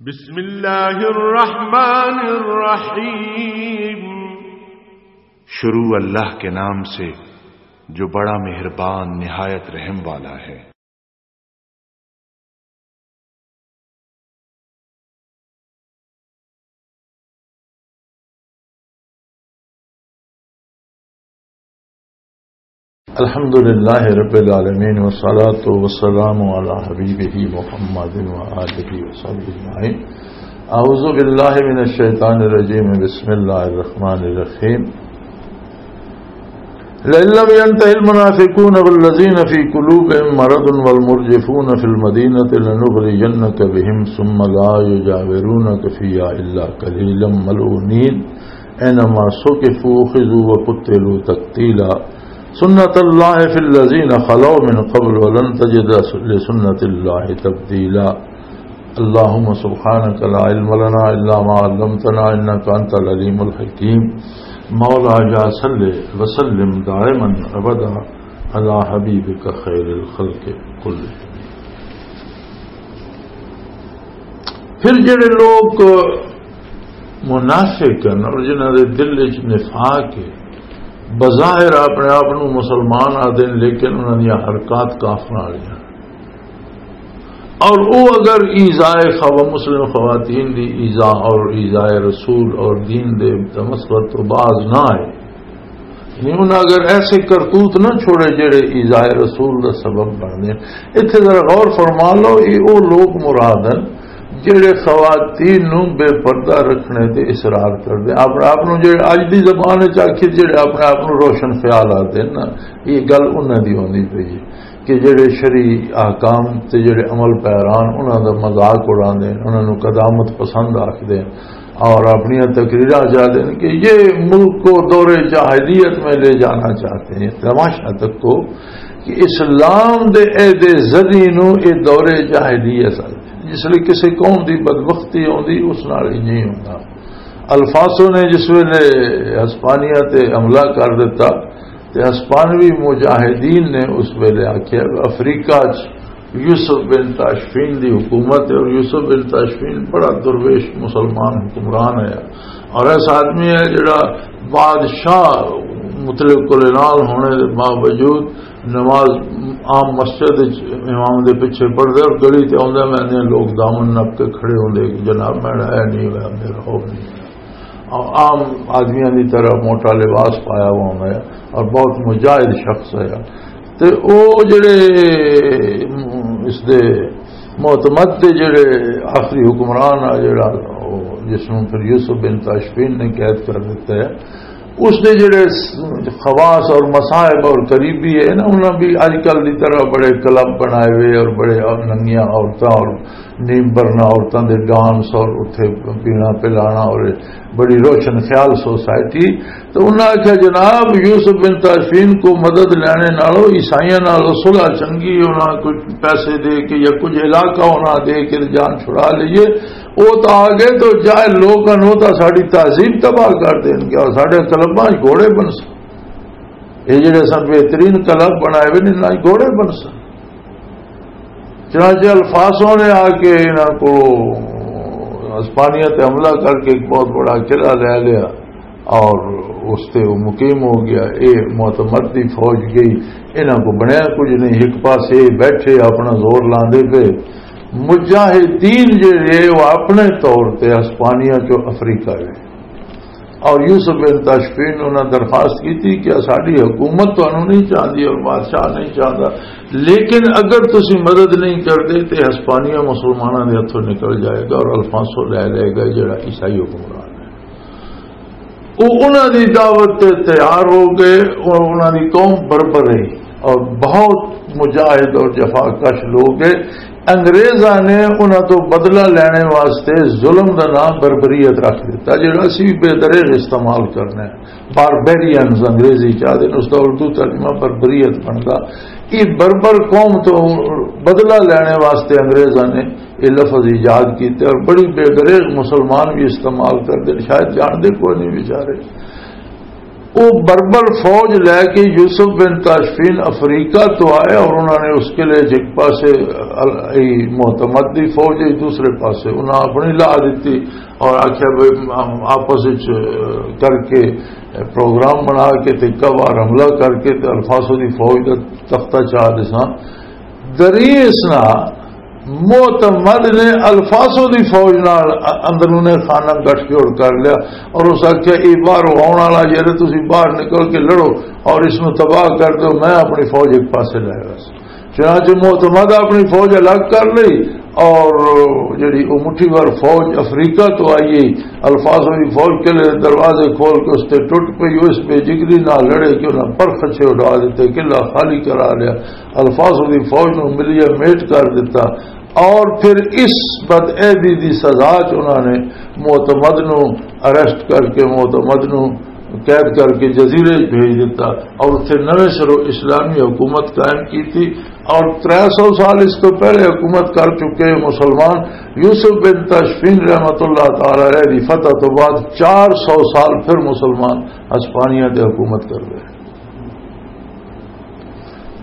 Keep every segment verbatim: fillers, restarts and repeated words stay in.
بسم اللہ الرحمن الرحیم۔ شروع اللہ کے نام سے جو بڑا مہربان نہایت رحم والا ہے۔ الحمد لله رب العالمين، والصلاة والسلام على حبيبه محمد وآله وصحبه أجمعين. أعوذ بالله من الشيطان الرجيم. بسم الله الرحمن الرحيم. لئن لم ينته المنافقون والذين في قلوبهم مرض والمرجفون في المدينة لنغرينك بهم ثم لا يجاورونك فيها إلا قليلا ملعونين. أينما ثقفوا أخذوا وقتلوا تقتيلا. سنة الله في الذين خلوا من قبل ولن تجد لسنة الله تبديلا. اللهم سبحانك لا علم لنا إلا ما علمتنا إنك أنت العليم الحكيم. مولا يا صل وسلم دائما أبدا على حبيبك خير الخلق كلهم. پھر جڑے لوگ منافق ہیں اور جنہاں دے دل وچ نفاق ہے، بظاہر اپنے آپ نو مسلمان آدھے ہیں، لیکن انہاں دیاں حرکات کافر والیاں۔ اور وہ اگر ایذائے خوا-، مسلم خواتین دی ایذا اور ایذائے رسول اور دین دے مسخرت تو باز نہ آئے، یعنی انہاں اگر ایسے کرتوت نہ چھوڑے جڑے ایذائے رسول دا سبب بن دے۔ اتھے ذرا غور فرما لو، یہ وہ لوگ مراد ہیں جڑے خواتین نو بے پردہ رکھنے تے اصرار کر دے۔ آپ، آپ نو جڑے اج دی زبان وچ آکھیے، جڑے اپنے آپ نو روشن خیال آتے ہیں نا، یہ گل انہاں دی ہوندی پئی ہے کہ جڑے شرعی احکام تے جڑے عمل پیران انہاں دا مذاق اڑاندے ہیں، انہاں نو قدامت پسند آکھدے ہیں۔ اور اپنی تقریراں چاہتے ہیں کہ یہ ملک کو دور جاہلیت میں لے جانا چاہتے ہیں۔ تماشا تک کو کہ اسلام دے عہد زدی نو اے دور جاہلیت آتے ہیں۔ جس لئے کسی قوم دی بدبختی ہوندی، اس نال ہی نہیں ہوندا۔ الفاسو نے جس ویلے ہسپانیہ تے حملہ کر دیتا، تے ہسپانوی مجاہدین نے اس ویلے آکھیا، افریقہ چ یوسف بن تاشفین دی حکومت ہے، اور یوسف بن تاشفین بڑا درویش مسلمان حکمران ہے، اور ایسا آدمی ہے جڑا بادشاہ مطلق کلینال ہونے دے باوجود نماز عام مسجد وچ امام دے پیچھے پڑھدے، اور گلی تے آندے میں لوگ دامن نپ کے کھڑے ہوندے کہ جناب میرا اے نہیں ہویا، میرا ہو نہیں ہویا۔ عام آدمیاں دی طرح موٹا لباس پایا ہوا ہوندا ہے اور بہت مجاہد شخص ہے۔ تے او جڑے اس دے معتمد دے جڑے آخری حکمران آ جڑا، او جس نوں پھر یوسف بن تاشفین نے قید کر دیتا ہے، اس دے جڑے خواص اور مصائب اور قریبی ہے نا، انہاں بھی اج کل دی طرح بڑے کلب بنائے ہوئے اور بڑے ننگیاں عورتاں اور نیم برنا عورتاں دے ڈانس اور اتھے پینا پلانا اور بڑی روشن خیال سوسائٹی۔ تو انہاں آکھیا، جناب، یوسف بن تاشفین کو مدد لینے نالو عیسائیاں نالو صلح چنگی، انہاں کچھ پیسے دے کے یا کچھ علاقہ انہاں دے کے جان چھڑا لئیے۔ او تو آ گئے تو جائے لوگ ہن، او تو ساڈی تہذیب تباہ کر دین گے اور ساڈے کلباں وچ گھوڑے بن سن۔ اے جڑے سن بہترین کلب بنائے ہوئے نے، انہاں وچ گھوڑے بن سن۔ چنانچہ الفاسوں نے آ کے انہاں کو اسپانیہ تے حملہ کر کے ایک بہت بڑا قلعہ لے لیا اور اس تے وہ مقیم ہو گیا۔ اے معتمد دی فوج گئی، انہاں کو بنیا کچھ نہیں، ایک پاسے بیٹھے اپنا زور لاندے پے۔ مجاہدین جڑے وہ اپنے طور تے اسپانیہ چو افریقہ گئے۔ اور یوسف بن تاشفین انہاں درخواست کی تھی کہ ساڈی حکومت تانوں نہیں چاہتی اور بادشاہ نہیں چاہتا، لیکن اگر تسی مدد نہیں کرتے تے ہسپانیہ مسلماناں دے ہتھوں نکل جائے گا اور الفانسو لے لے گا، جڑا عیسائی حکمران ہے۔ وہ انہاں دی دعوت تے تیار ہو گئے اور انہاں دی قوم بربر رہی اور بہت مجاہد اور جفا کش لوگ ہیں۔ انگریزاں نے انہاں تو بدلہ لینے واسطے ظلم دا نام بربریت رکھ دیتا، جڑا اسی بے دریغ استعمال کرنا ہے۔ باربیرینز انگریزی چاہتے ہیں، اس دا اردو ترجمہ بربریت بنتا۔ یہ بربر قوم تو بدلہ لینے واسطے انگریزاں نے یہ لفظ ایجاد کیتے اور بڑی بے دریغ مسلمان بھی استعمال کرتے ہیں، شاید جانتے کوئی نہیں بیچارے۔ وہ بربر فوج لے کے یوسف بن تاشفین افریقہ تو آئے اور انہوں نے اس کے لیے ایک پاسے ال-، ای معتمد دی فوج، ایک دوسرے پاسے انہاں اپنی لا دیتی اور آخیا بھی ہم آپس وچ کر کے پروگرام بنا کے تے اکا وار حملہ کر کے تے الفاظوں دی فوج دا تختہ چاہ دساں۔ دریس نہ معتمد نے الفاظوں دی فوج نال اندرون خانہ گٹھ جوڑ کر لیا اور اس آخیا، "اے باہر آن والا جڑے، تسی باہر نکل کے لڑو اور اس نو تباہ کر دو، میں اپنی فوج ایک پاسے لے رہا سا۔" چنانچہ معتمد اپنی فوج الگ کر لئی اور جڑی او مٹھی بھر فوج افریقہ تو آئی، الفاظوں دی فوج قلعے دے دروازے کھول کے اس تے ٹوٹ پئی۔ وہ اس بے جگری نال لڑے کہ انہاں پرخچے اڈا دیتے، قلعہ خالی کرا لیا۔ الفاظوں دی فوج نو ملیا میٹ کر دیتا اور پھر اس بد عہدی دی سزا چ انہاں نے معتمد نو اریسٹ کر کے معتمد نو قید کر کے جزیرے وچ بھیج دیتا اور اتھے نویں سروں اسلامی حکومت قائم کیتی۔ اور ترے سو سال اس تو پہلے حکومت کر چکے مسلمان یوسف بن تاشفین رحمت اللہ تعالی علیہ دی فتح تو بعد چار سو سال پھر مسلمان ہسپانیہ تے حکومت کر گئے۔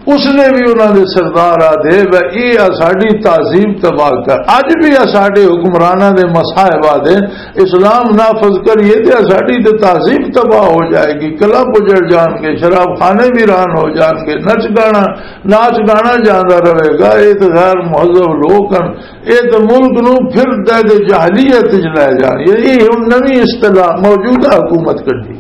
اس نے بھی انہاں دے سردار آ دے و اے اساڈی تہذیب تباہ کر، اج بھی اساڈے حکمراناں دے مصائب آ دے، اسلام نافذ کریے تے اساڈی تے تہذیب تباہ ہو جائے گی، کلب اجڑ جان گے، شراب خانے ویران ہو جان گے، نچ گانا، ناچ گانا جاندا رہے گا۔ اے تے غیر مہذب لوگ ہن، اے تے ملک نو پھر دے دے جاہلیت وچ لے جان۔ اے ہن نویں اصطلاح موجودہ حکومت کڈی۔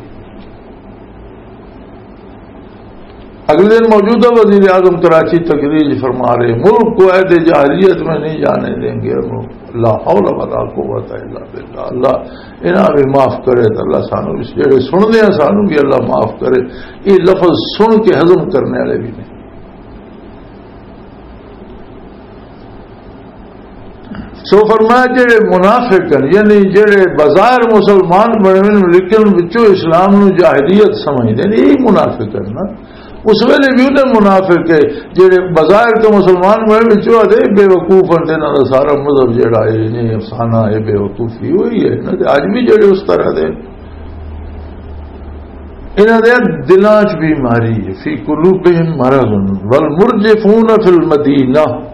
اگلے دن موجودہ وزیر اعظم کراچی تقریر فرما رہے، "ملک کو عہد جاہلیت میں نہیں جانے دیں گے۔" لا حول ولا قوت الا باللہ۔ اللہ انہاں بھی معاف کرے تے اللہ سانو اس جڑے سننے ہیں، سانو بھی اللہ معاف کرے۔ یہ لفظ سن کے ہضم کرنے والے بھی نہیں۔ سو فرمایا، جڑے منافق ہیں، یعنی جڑے بظاہر مسلمان بنے ہوئے لیکن وچوں اسلام نو جاہلیت سمجھدے نے، یہی منافق ہیں نا۔ اس ویلے بھی انہیں منافق ہے، جڑے بظاہر تو مسلمان بنے وچوں آدھے بے وقوف ہیں، تے انہاں دا سارا مذہب جڑا ہے، یہ افسانہ ہے، بے وقوفی ہوئی ہے۔ انہاں دے اج بھی جڑے اس طرح دے، انہاں دے دلاں چ بیماری ہے، فی قلوبہم مرض والمرجفون فی المدینہ۔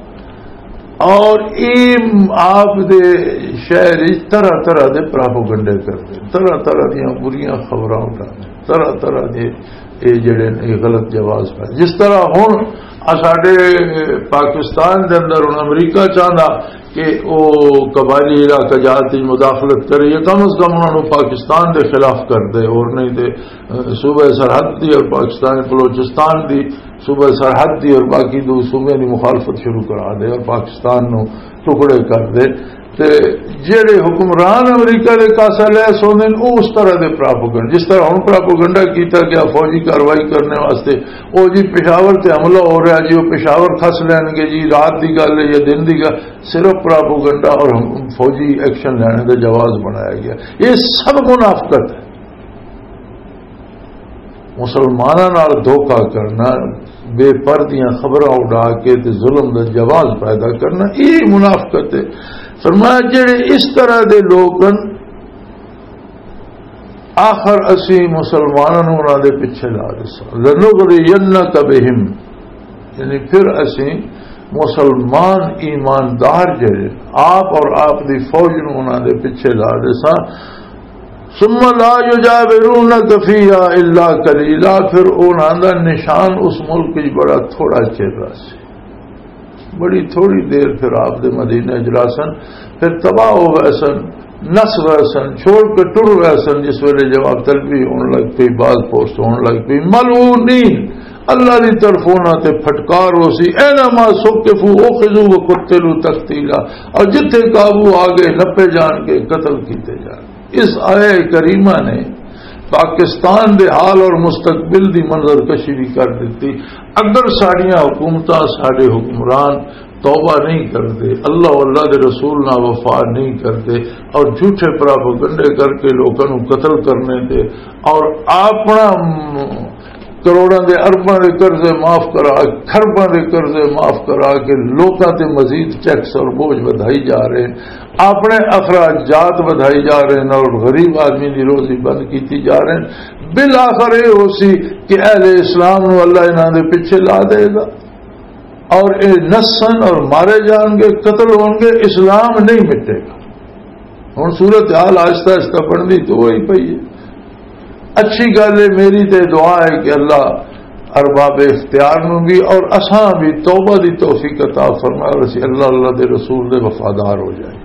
اور اے آپ دے شہر وچ طرح طرح دے پراپوگنڈے کردے، طرح طرح دیاں بریاں خبراں اٹھاندے، طرح طرح دے اے جڑے نے غلط جواز پائے۔ جس طرح ہن ساڈے پاکستان دے اندر ہن امریکہ چاہندا کہ او قبائلی علاقہ جات وچ مداخلت کرے، یا کم از کم انہاں نوں پاکستان دے خلاف کر دے، اور نہیں تے صوبہ سرحد دی اور پاکستان بلوچستان دی صوبہ سرحد دی اور باقی دو صوبے دی مخالفت شروع کرا دے اور پاکستان نو ٹکڑے کر دے۔ تے جڑے حکمران امریکہ دے کاسا لے سوندے نے، او اس طرح دے پراپوگنڈ، جس طرح ہن پراپوگنڈا کیتا گیا فوجی کاروائی کرنے واسطے، او جی پشاور تے حملہ ہو رہا جی، او پشاور کھس لین گے جی، رات دی گل ہے یا دن دی گل، صرف پراپوگنڈا اور ہم-، فوجی ایکشن لینے دا جواز بنایا گیا۔ یہ سب منافقت ہے۔ مسلماناں نال دھوکا کرنا، بے پر دیاں خبراں اڈا کے تے ظلم دا جواز پیدا کرنا، یہ منافقت ہے۔ فرمایا، جڑے اس طرح دے لوگ ہن، آخر اسی مسلماناں نوں انہاں دے پیچھے لا دساں، "لنغرینک بہم"، یعنی پھر اسی مسلمان ایماندار جڑے آپ اور آپ دی فوج نوں انہاں دے پیچھے لا دساں، "ثم لا یجاورونک فیہا الا قلیلا"، پھر انہاں دا نشان اس ملک وچ بڑا تھوڑا چہرہ سی، بڑی تھوڑی دیر پھر آپ دے مدینے وچ رہسن، پھر تباہ ہو گئے سن، نس گئے سن، چھوڑ کے ٹر گئے سن۔ جس ویلے جواب طلبی ہون لگ پئی، باز پوسٹ ہون لگ پئی، ملعونین، اللہ دی طرفوں انہاں تے پھٹکار ہو سی، "اینما ثقفوا اخذوا وقتلوا تقتیلا"، اور جتھے قابو آ گئے، نپے جان کے قتل کیتے جان۔ اس آیہ کریمہ نے پاکستان دے حال اور مستقبل دی منظر کشی بھی کر دیتی۔ اگر ساڈیاں حکومتاں، ساڈے حکمران توبہ نہیں کردے، اللہ و اللہ دے رسول نال وفا نہیں کردے اور جھوٹے پراپوگنڈے کر کے لوکاں نوں قتل کرنے تے اور اپنا کروڑاں دے ارباں دے قرضے معاف کرا، کھرباں دے قرضے معاف کرا کے لوکاں تے مزید ٹیکس اور بوجھ ودھائی جا رہے ہیں، اپنے اخراجات ودھائی جا رہے ہیں اور غریب آدمی دی روزی بند کیتی جا رہے ہیں۔ بالآخر یہ ہو سی کہ اہل اسلام نو اللہ انہاں دے پیچھے لا دے گا، اور یہ نسن اور مارے جان گے، قتل ہون گے، اسلام نہیں مٹے گا۔ ہن صورت حال آہستہ آہستہ بنتی تو وہی پئی ہے۔ اچھی گل ہے، میری تے دعا ہے کہ اللہ ارباب اختیار نو بھی اور اساں بھی توبہ دی توفیق عطا فرمائے اور اسی اللہ، اللہ دے رسول دے وفادار ہو جائیں۔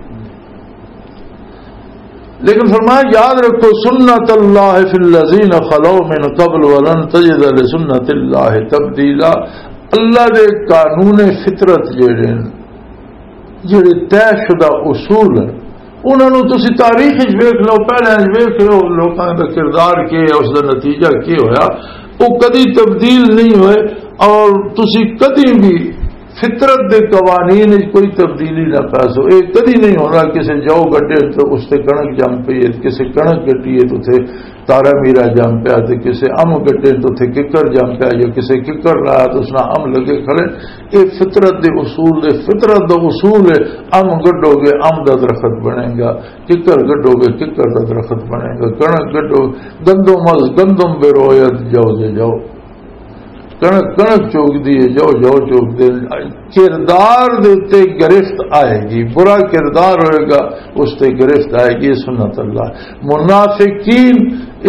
لیکن فرمایا، یاد رکھو، سنت اللہ فی الذین خلو من قبل ولن تجد لسنت اللہ تبدیلا۔ اللہ دے قانون فطرت جڑے ہیں، جڑے طے شدہ اصول ہیں، انہاں نوں تسی تاریخ وچ ویکھ لو، پہلے وچ ویکھ لو، لوکاں دا کردار کی ہے، اس دا نتیجہ کی ہویا، وہ کدی تبدیل نہیں ہوئے۔ اور تسی کدی بھی فطرت دے قوانین وچ کوئی تبدیلی نہ پا سو۔ یہ کدی نہیں ہونا کسی جو گڈے تو اس تے کڑک جم پئی ہے، کسی کڑک گڈی ہے تو اتھے تارا میرا جم پیا، تے کسی ام گڈے تو اتھے ککر جم پیا، یا کسی ککر لایا تو اس نال ام لگے کھڑے۔ یہ فطرت دے اصول دے، فطرت دا اصول ہے، ام گڈو گے ام دا درخت بنے گا، ککر گڈو گے ککر دا درخت بنے گا، کڑک گڈو، گندم از گندم بروید جو جے جو۔ کڑک کڑک چوک دی ہے، جو جو چوک دے۔ کردار دے تے گرفت آئے گی، برا کردار ہوئے گا، اس تے گرفت آئے گی۔ سنت اللہ۔ منافقین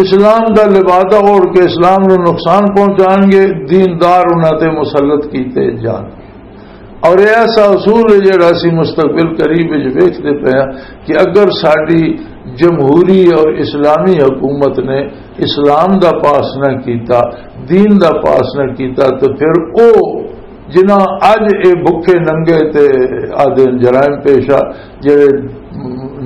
اسلام دا لبادہ اوڑھ کے اسلام نو نقصان پہنچان گے، دیندار انہاں تے مسلط کیتے جان۔ اور یہ ایسا اصول ہے جڑا اسی مستقبل قریب وچ ویکھدے پئے ہاں کہ اگر ساڈی جمہوری اور اسلامی حکومت نے اسلام دا پاس نہ کیتا، دین دا پاس نہ کیتا، تو پھر او جنہاں اج اے بھکھے ننگے تے آدھے جرائم پیشہ، جڑے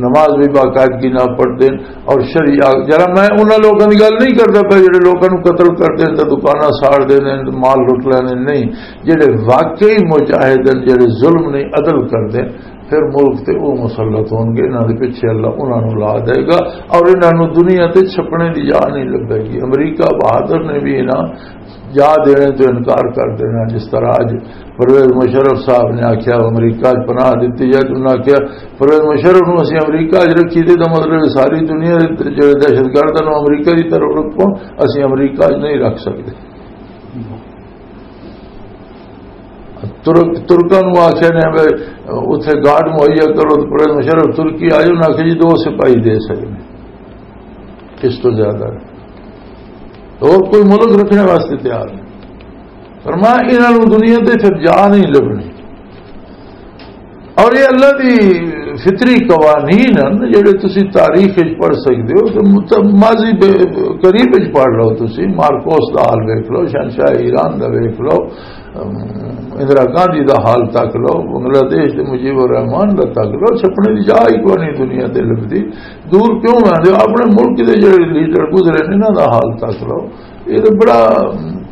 نماز بھی باقاعدگی نہ پڑھتے ہیں اور شریعت، جرا میں انہاں لوگوں کی گل نہیں کرتا پیا جڑے لوگوں کو قتل کرتے ہیں تو دکاناں ساڑ دے نے، مال لٹ لینے، نہیں۔ جڑے واقعی مجاہد ہیں، جڑے ظلم نہیں عدل کرتے، پھر ملک تے او مسلط ہون گے، انہاں دے پیچھے اللہ انہاں نوں لا دے گا اور انہاں نوں دنیا تے چھپنے دی جا نہیں لبے گی۔ امریکہ بہادر نے بھی انہاں جا دینے تو انکار کر دینا۔ جس طرح اج پرویز مشرف صاحب نے آکھیا، امریکہ اچ پناہ دتی جائے، تو انہاں آکھیا، پرویز مشرف نوں اسی امریکہ اچ رکھی تے دا مطلب ہے ساری دنیا دے جڑے دہشت گرد ہیں، وہ امریکہ دی طرف رکھو، اسی امریکہ اچ نہیں رکھ سکتے۔ ترک، ترکاں نوں آکھیا نے بھی اتھے گارڈ مہیا کرو، تو پرویز مشرف ترکی آئے، انہاں آکھیا جی دو سپاہی دے سکتے، اس تو زیادہ اور کوئی ملک رکھنے واسطے تیار نہیں۔ فرمایا، انہاں نوں دنیا تے پھر جا نہیں لبنی۔ اور یہ اللہ دی فطری قوانین ہیں جڑے تسی تاریخ وچ پڑھ سکدے ہو، تے مت-، ماضی بے-، قریب وچ پڑھ لو، تسی مارکوس دا حال ویکھ لو، شہنشاہ ایران دا ویکھ لو، ام، اندرا گاندھی دا حال تک لو، بنگلہ دیش دے مجیب الرحمان دا تک لو، چھپنے دی جا ہی کوئی نہیں دنیا تے لبدی۔ دور کیوں آندے ہو؟ اپنے ملک دے جڑے لیڈر گزرے نے، انہاں دا حال تک لو۔ یہ تو بڑا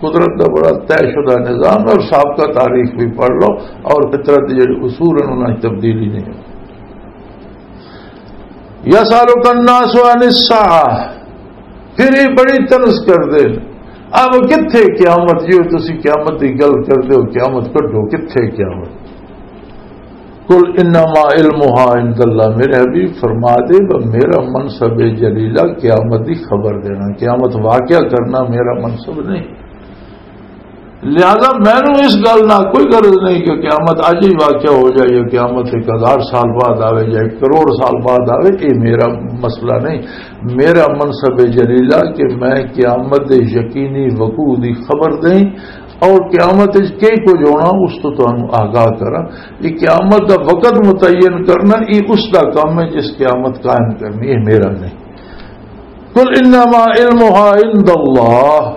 قدرت دا بڑا طے شدہ نظام ہے اور سابقہ تاریخ بھی پڑھ لو اور فطرت دے جڑے اصول ہیں، انہاں 'چ تبدیلی نہیں ہوئی۔ یسألک الناس عن الساعہ، پھر یہ بڑی طنز کر دے، اب کتھے قیامت؟ جی تسی قیامت دی گل کر دے ہو، قیامت کڈو، کتھے قیامت؟ قل انما علمها عند اللہ، میرے حبیب فرما دے، وہ میرا منصب جلیلہ قیامت دی خبر دینا، قیامت واقعہ کرنا میرا منصب نہیں۔ لہذا مینوں اس گل نال کوئی غرض نہیں کہ قیامت اج ہی واقعہ ہو جائے یا قیامت ایک ہزار سال بعد آوے یا ایک کروڑ سال بعد آوے، یہ میرا مسئلہ نہیں۔ میرا منصب جلیلہ کہ میں قیامت دے یقینی وقوع دی خبر دیں اور قیامت وچ کی کچھ ہونا اس تو تانوں آگاہ کراں۔ یہ قیامت دا وقت متعین کرنا، یہ اس دا کام ہے جس قیامت قائم کرنی، یہ میرا نہیں۔ قل انما علمها عند اللہ،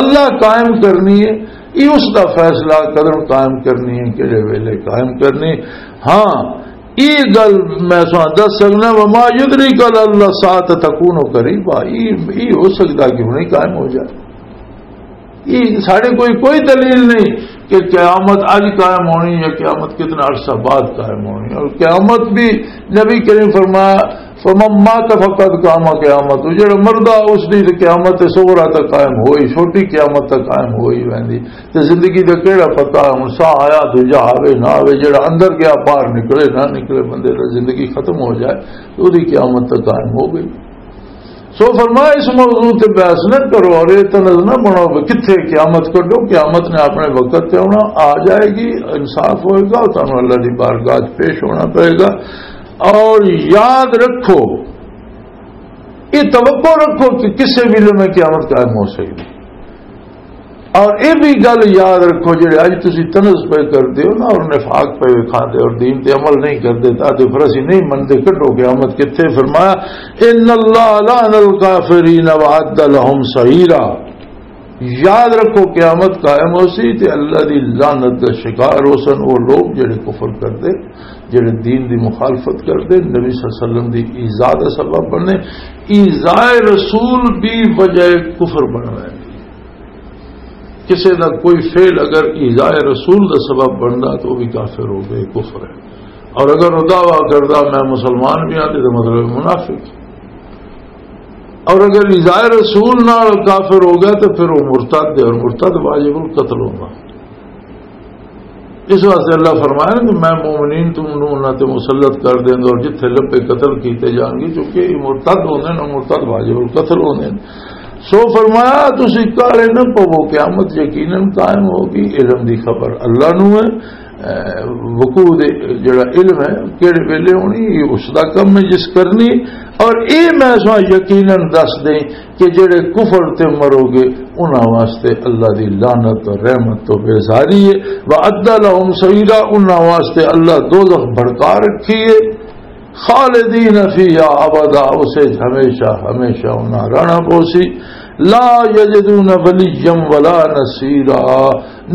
اللہ قائم کرنی ہے، یہ اس دا فیصلہ قدر قائم کرنی ہے، کہڑے ویلے قائم کرنی۔ ہاں، یہ گل میں سنا دس سکنا، وما یدریک لعل الساعۃ تکون قریبا، یہ یہ ہو سکتا کہ ہنے قائم ہو جائے۔ یہ ساڈے کوئی کوئی دلیل نہیں کہ قیامت اج قائم ہونی یا قیامت کتنا عرصہ بعد قائم ہونی۔ اور قیامت بھی نبی کریم فرمایا، فمن مات فقد قام قیامت، جڑا مردہ اس دی تے قیامت صغریٰ تک قائم ہوئی، چھوٹی قیامت تک قائم ہوئی ویندی۔ تے زندگی دا کیڑا پتہ، ہن ساہ آیا دوجا آوے نہ آوے، جڑا اندر گیا باہر نکلے نہ نکلے، بندے دا زندگی ختم ہو جائے، تے اودی قیامت تک قائم ہو گئی۔ سو فرمایا، اس موضوع تے بحث نہ کرو اور یہ طنز نہ بناؤ کہ کتھے قیامت کڈو، قیامت نے اپنے وقت تے آنا، آ جائے گی، انصاف ہوئے گا، تانوں اللہ دی بارگاہ چ پیش ہونا پئے گا۔ اور یاد رکھو، یہ توقع رکھو کہ کسے ویلے میں قیامت قائم ہو سکتی۔ اور یہ بھی گل یاد رکھو، جڑے اج تسی طنز پہ کردے ہو نا، اور نفاق پہ وکھاندے اور دین تے عمل نہیں کردے، تاں تے پھر اسی نہیں مندے، کڈو قیامت کتھے؟ فرمایا، ان اللہ لعن الکافرین وعد لهم سعیرا۔ یاد رکھو، قیامت قائم ہو سی تے اللہ دی لعنت دا شکار ہو سن وہ لوگ جڑے کفر کردے، جڑے دین دی مخالفت کردے، نبی صلی اللہ علیہ وسلم دی ایذا دا سبب بنے۔ ایذائے رسول بھی وجہ کفر بننا ہے۔ کسی دا کوئی فعل اگر ایذائے رسول دا سبب بندا تو وہ بھی کافر ہو گئے، کفر ہے۔ اور اگر وہ دعویٰ کردا میں مسلمان بھی ہاں، تو مطلب منافق۔ اور اگر ایذائے رسول نال کافر ہو گیا تو پھر وہ مرتد ہے، اور مرتد واجب القتل ہوگا۔ اس واسطے اللہ فرمایا کہ میں مومنین تم نو انہاں تے مسلط کر دیں اور جتھے لبے قتل کیتے جان گے، چونکہ یہ مرتد ہوندے نے، مرتد واجب القتل ہوندے نے۔ سو فرمایا، تسی کالے نہ پوو، قیامت یقیناً قائم ہوگی۔ علم دی خبر اللہ نو ہے، اے، وقوع دے جڑا علم ہے، کیڑے ویلے ہونی، یہ اس دا کم ہے جس کرنی۔ اور اے میں سو یقیناً دس دیں کہ جڑے کفر تے مرو گے، انہاں واسطے اللہ دی لعنت اور رحمت تو بیزاری ہے۔ وَأَعَدَّ لَهُمْ سَعِيرًا، انہاں واسطے اللہ دوزخ بھڑکا رکھی ہے۔ خالدین فیہا ابدا، اسے ہمیشہ، ہمیشہ انہاں رہنا پوسی۔ لا یجدون ولیا ولا نصیرا،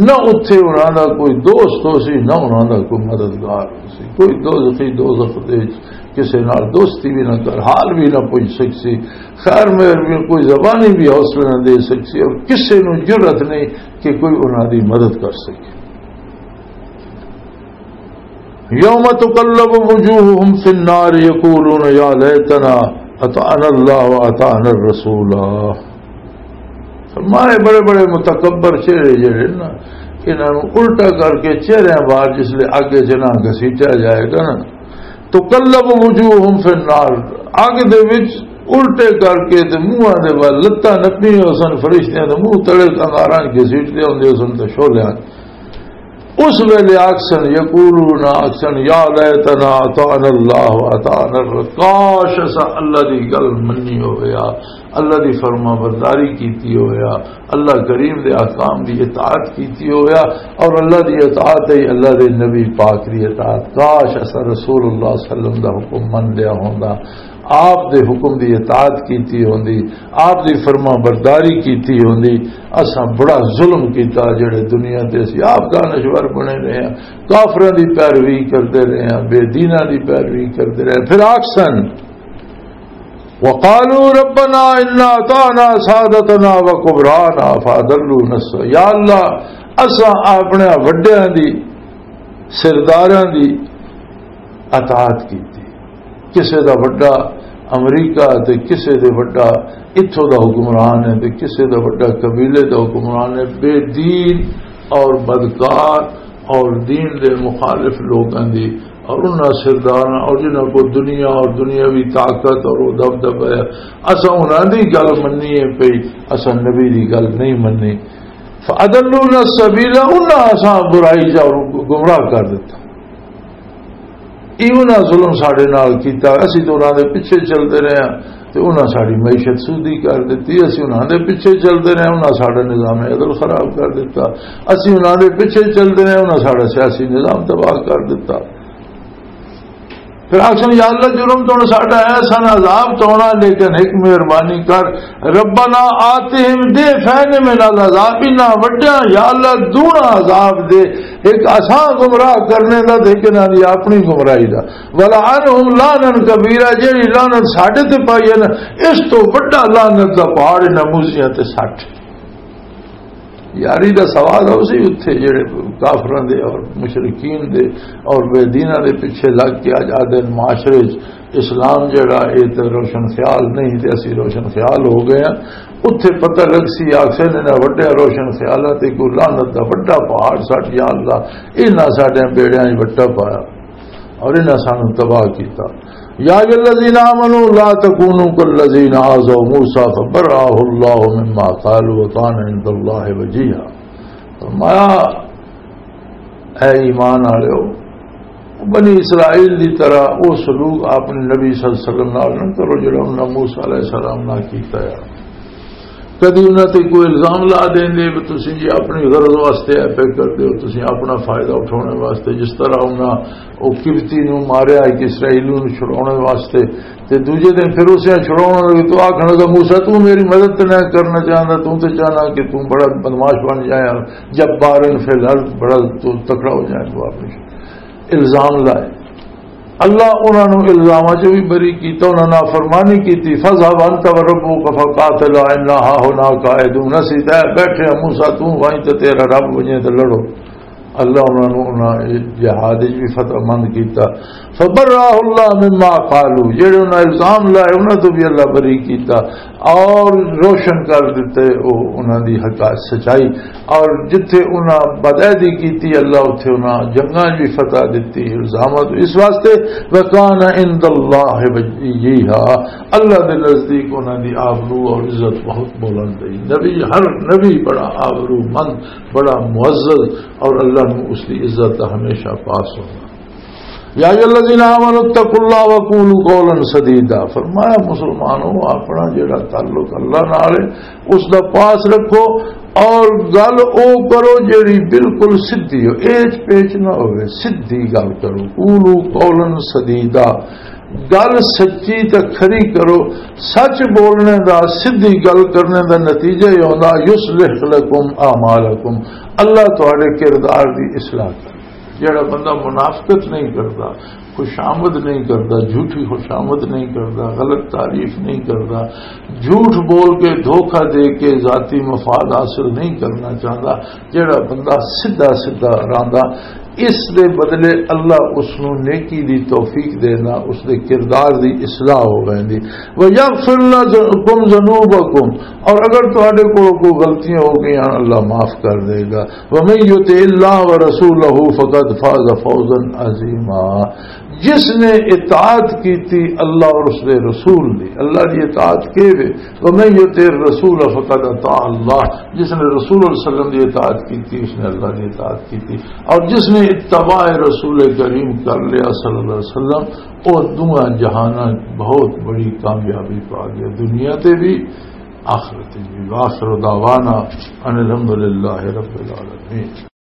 نہ اتھے انہاں دا کوئی دوست ہو سی، نہ انہاں دا کوئی مددگار ہو سی۔ کوئی دوزخی دوزخ دے وچ کسے نال دوستی بھی نہ کر، حال بھی نہ پوچھ سکسی، خیر مہر بھی، کوئی زبانی بھی حوصلہ نہ دے سکسی، اور کسے نوں جرأت نہیں کہ کوئی انہاں دی مدد کر سکے۔ یوم تقلب وجوہہم فی النار یقولون یا لیتنا اطعنا اللہ واطعنا الرسولا۔ فرمائے، بڑے بڑے متکبر چہرے جڑے نا، انہاں نوں الٹا کر کے چہریاں بار جس لے اگے جنا گھسیٹیا جائے گا نا، تقلب وجوہہم فی النار، اگ دے وچ الٹے کر کے تے منہاں دے ول لتاں نپیاں ہو سن، فرشتیاں دے منہ تلے انگاراں گھسیٹدے ہوندے سن تے شعلیاں۔ اس ویلے آکھسن، یقولون، آکھسن، یا لیتنا اطعنا اللہ و اطعنا الر-، کاش اسا اللہ دی گل منی ہویا، اللہ دی فرما برداری کیتی ہویا، اللہ کریم دے احکام دی اطاعت کیتی ہویا، اور اللہ دی اطاعت ہے اللہ دے نبی پاک دی اطاعت۔ کاش اسا رسول اللہ صلی اللہ علیہ وسلم دا حکم من لیا ہوندا، آپ دے حکم دی اطاعت کیتی ہوندی، آپ دی فرما برداری کیتی ہوندی۔ اساں بڑا ظلم کیتا جڑے دنیا تے اسی آپ دانشور بنے رہے ہیں، کافراں دی پیروی کردے رہے ہیں، بے دیناں دی پیروی کردے رہے ہیں۔ پھر آکھسن، وقالوا ربنا انا اطعنا سادتنا وكبراءنا فاضلونا الس-، یا اللہ، اساں اپنے وڈیاں دی، سرداراں دی اطاعت کیتی۔ کسے دا وڈا امریکہ تے کسے دے وڈا اتھوں دا حکمران ہے تے کسے دا وڈا قبیلے دا حکمران ہے، بے دین اور بدکار اور دین دے مخالف لوگاں دی، اور انہاں سرداراں اور جنہاں کو دنیا اور دنیاوی طاقت اور وہ دبدبہ ہے، اساں انہاں دی گل مننی ہے پئی، اساں نبی دی گل نہیں مننی۔ فاضلونا السبیل، انہاں اساں برائی چ اور گمراہ کر دتا۔ ایہو نہ ظلم ساڈے نال کیتا، اسی تو انہاں دے پیچھے چلدے رہے ہاں تے انہاں ساڈی معیشت سودی کر دتی، اسی انہاں دے پیچھے چلدے رہے، انہاں ساڈا نظام عدل خراب کر دتا، اسی انہاں دے پیچھے چلدے رہے، انہاں ساڈا سیاسی نظام تباہ کر دتا۔ پھر آکھن، یا اللہ، جرم تو ہن ساڈا ہے، سن عذاب تو ہونا، لیکن ایک مہربانی کر، ربنا آتہم، دے فین من العذاب، انہاں وڈیاں، یا اللہ، دونا عذاب دے، ایک اساں گمراہ کرنے دا تے ایک انہاں دی اپنی گمراہی دا۔ ولعنہم لعنا کبیرا، جیڑی لعنت ساڈے تے پائی ہے نا، اس تو وڈا لعنت دا پہاڑ انہاں موسیاں تے سٹ۔ یاری دا سوال ہو سی اتھے جڑے کافراں دے اور مشرکین دے اور بے دیناں دے پیچھے لگ کے اج آدھے معاشرے وچ اسلام جڑا اے تے روشن خیال نہیں تے اسی روشن خیال ہو گئے ہیں۔ اتھے پتہ لگ سی آکھسے نے نہ وڈے روشن خیالاں تے کوئی لعنت دا وڈا پہاڑ سٹ، یا اللہ، انہاں ساڈے بیڑیاں وچ وٹا پایا۔ اور انہاں سانوں تباہ کیتا۔ یا ایھا الذین آمنوا لا تکونوا کالذین آذوا موسی فبرأہ اللہ مما قالوا وکان عند اللہ وجیہا۔ فرمایا، اے ایمان والو، بنی اسرائیل دی طرح وہ سلوک اپنے نبی صلی اللہ علیہ وسلم نال نہ کرو، جڑا انہاں موسی علیہ السلام نال کیتا ہے۔ کدی انہاں تے کوئی الزام لا دیں دے، تسی جی اپنی غرض واسطے اے پہ کر دیو، تسی اپنا فائدہ اٹھانے واسطے، جس طرح انہاں او قبطی نو ماریا، ایک اسرائیلی نو چھڑانے واسطے، تے دوجے دن پھر اسے چھڑاؤن لگے تو آکھن لگا، "موسیٰ، تو میری مدد تے نہ کرنا چاہندا، تو تے چاہنا کہ تو بڑا بدمعاش بن جائے، جبارن فی الارض، بڑا تو تکڑا ہو جائے۔" تو اپنے الزام لائے۔ اللہ انہاں نوں الزاماں چوں بھی بری کیتا، انہاں نافرمانی کیتی۔ "فاذهب انت وربك فقاتلا انا هاهنا قاعدون۔" اسی تے بیٹھے ہیں، موسیٰ تو وہیں تے تیرا رب وجے تے لڑو۔ اللہ انہاں نوں انہاں جہاد وچ بھی فتح مند کیتا۔ فبرأہ اللہ مما قالوا، جڑے انہاں الزام لائے انہاں تو بھی اللہ بری کیتا اور روشن کر دیتے او انہاں دی حقائق سچائی۔ اور جتھے انہاں بدعہدی کیتی، اللہ اتھے انہاں جنگاں بھی فتح دتی، الزامات اس واسطے، وکان عند اللہ وجیہا، اللہ دے نزدیک انہاں دی آبرو اور عزت بہت بلند ہے۔ نبی، ہر نبی بڑا آبرو مند، بڑا معزز، اور اللہ نو اس دی عزت دا ہمیشہ پاس ہونا۔ یا ایھا الذین آمنوا اتقوا اللہ وقولوا قولا سدیدا، فرمایا، مسلمانوں، اپنا جڑا تعلق اللہ نال ہے، اس دا پاس رکھو اور گل او کرو جڑی بالکل سدھی ہو، ایچ پیچ نہ ہوئے، سدھی گل کرو۔ قولوا قولا سدیدا، گل سچی تے کھری کرو۔ سچ بولنے دا، سدھی گل کرنے دا نتیجہ یہ ہوندا، یصلح لکم اعمالکم، اللہ تہاڈے کردار دی اصلاح کر۔ جڑا بندہ منافقت نہیں کردا، خوشامد نہیں کردا، جھوٹی خوشامد نہیں کردا، غلط تعریف نہیں کردا، جھوٹ بول کے، دھوکہ دے کے ذاتی مفاد حاصل نہیں کرنا چاہندا، جڑا بندہ سیدھا سیدھا رہندا، اس دے بدلے اللہ اس نوں نیکی دی توفیق دینا، اس دے کردار دی اصلاح ہو ویندی۔ وَيَغْفِرْ لَكُمْ ذُنُوبَكُمْ، اور اگر تہاڈے کولوں کوئی غلطیاں ہو گئیاں، اللہ معاف کر دے گا۔ وَمَن يُطِعِ اللَّهَ وَرَسُولَهُ فَقَدْ فَازَ فَوْزًا عَظِيمًا۔ جس نے اطاعت کیتی اللہ اور اس دے رسول دی، اللہ دی اطاعت کے وے، وَمَن يُطِعِ الرَّسُولَ فَقَدْ أَطَاعَ اللَّهَ، جس نے رسول اللہ صلی اللہ علیہ وسلم دی اطاعت کیتی، اس نے اللہ دی اطاعت کیتی، اور جس نے اتباع رسول کریم کر لیا صلی اللہ علیہ وسلم، وہ دونوں جہاناں بہت بڑی کامیابی پا گیا، دنیا تے بھی، آخرت بھی۔ وآخر دعوانا ان الحمدللہ رب العالمین۔